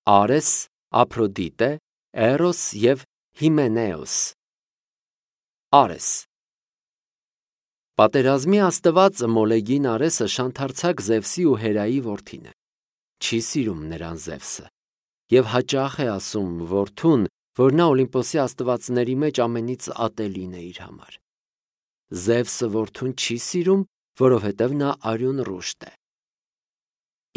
Արես, Ափրոդիտե, Էրոս և Հիմենեոս։ Արես։ Պատերազմի աստվածը Մոլեգին Արեսը շանթարցակ Զևսի ու Հերայի որդին է։ Չի սիրում նրան Զևսը և հաճախ է ասում որդուն, որ նա Օլիմպոսի աստվածների մեջ ամենից ատելին է իր համար։ Զևսը որդուն չի սիրում, որովհետև նա արյուն ռուշտ է։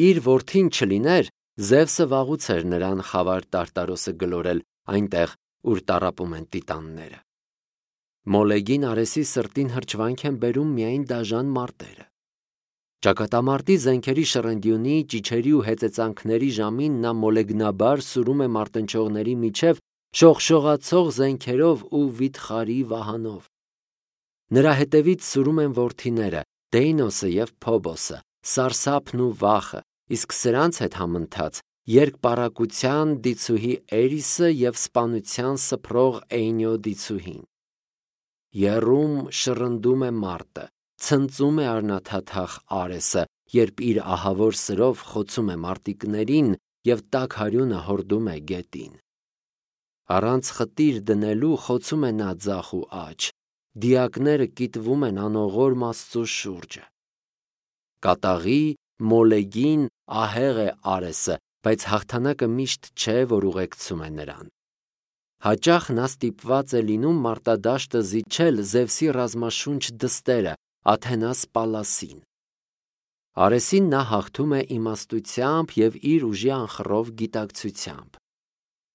Իր որդին չլիներ, Զևսը վաղուց էր նրան խավար Տարտարոսը գլորել այնտեղ, ուր տառապում են տիտանները։ Մոլեգին Արեսի սրտին հրճվանք են բերում միայն դաժան մարտերը։ Ճակատամարտի զենքերի շռնդյունի, ճիչերի ու հեծեծանքների ժամին նա մոլեգնաբար սուրում է մարտնչողների միջև շողշողացող զենքերով ու վիթխարի վահանով։ Նրա հետևից սուրում են որդիները Դեյնոսը և Փոբոսը, Սարսափն ու Վախը, իսկ սրանց հետ համընթաց երկպառակտության դիցուհի Էրիսը և սպանության սփռող Էյնյո դիցուհին։ Եռում շռնդում է մարտը, ցնծում է արնաթաթախ Արեսը, երբ իր ահավոր սրով խոցում է մարտիկներին և տաք հարյունը հորդում է գետին։ Առանց խտիր դնելու խոցում է նա ձախ ու աջ, դիակները կիտվում են անողորմ Աստծու շուրջը։ Կատաղի, Մոլեգին, ահեղ է Արեսը, բայց հաղթանակը միշտ չէ, որ ուղեկցում է նրան։ Հաճախ նա ստիպված է լինում մարտադաշտը զիջել Զևսի ռազմաշունչ դստերը Աթենաս Պալասին։ Արեսին նա հաղթում է իմաստությամբ և իր ուժի անխռով գիտակցությամբ։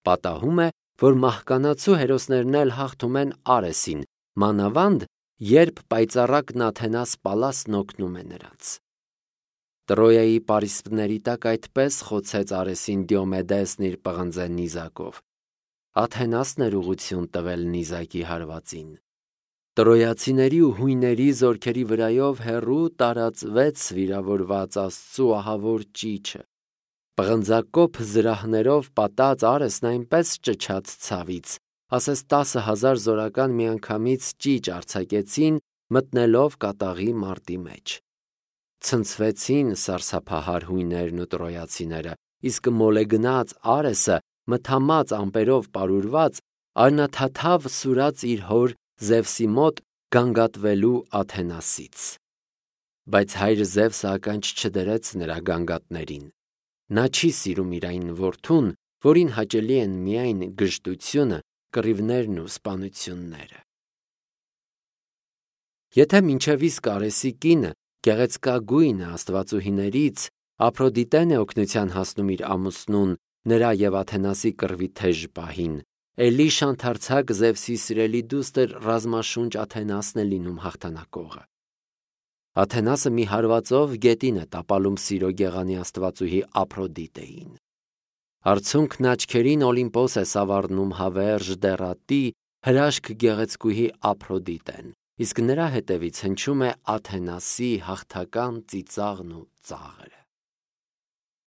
Պատահում է, որ մահկանացու հերոսներն էլ հաղթում են Արեսին, մանավանդ երբ պայծառակն Աթենաս Պալասն օգնում է նրանց։ Տրոյայի պարիսպների տակ այդպես խոցեց Արեսին Դիոմեդեսն իր պղնձե նիզակով։ Աթենասն էր ուղղություն տվել նիզակի հարվածին։ Տրոյացիների ու հույների զորքերի վրայով հեռու տարածվեց վիրավորված Աստծու ահավոր ճիչը։ Պղնձակոփ զրահներով պատած Արեսն այնպես ճչաց ցավից, ասես 10,000 զորական միանգամից ճիչ արձակեցին, մտնելով կատաղի մարտի մեջ։ Ցնցվեցին սարսափահար հույներն ու տրոյացիները, իսկ մոլեգնած Արեսը, մթամած ամպերով պարուրված, արնաթաթավ սուրաց իր հոր Զևսի մոտ գանգատվելու Աթենասից։ Բայց հայր Զևսը ականջ չդրեց նրա գանգատներին։ Նա չի սիրում իր այն որդուն, որին հաճելի են միայն գժտությունը, կռիվներն ու սպանությունները։ Եթե մինչև իսկ Արեսի կինը, գեղեցկագույնը աստվածուհիներից, Ափրոդիտեն է օգնության հասնում իր ամուսնուն, նրա և Աթենասի կռվի թեժ պահին, էլի շանթարցակ Զևսի սիրելի դուստր ռազմաշունչ Աթենասն է լինում հաղթանակողը։ Աթենասը մի հարվածով գետին է տապալում սիրո գեղանի աստվածուհի Ափրոդիտեին։ Արցունքն աչքերին Օլիմպոս է սավառնում հավերժ դեռատի հրաշք գեղեցկուհի Ափրոդիտեն, իսկ նրա հետևից հնչում է Աթենասի հաղթական ծիծաղն ու ծաղրը։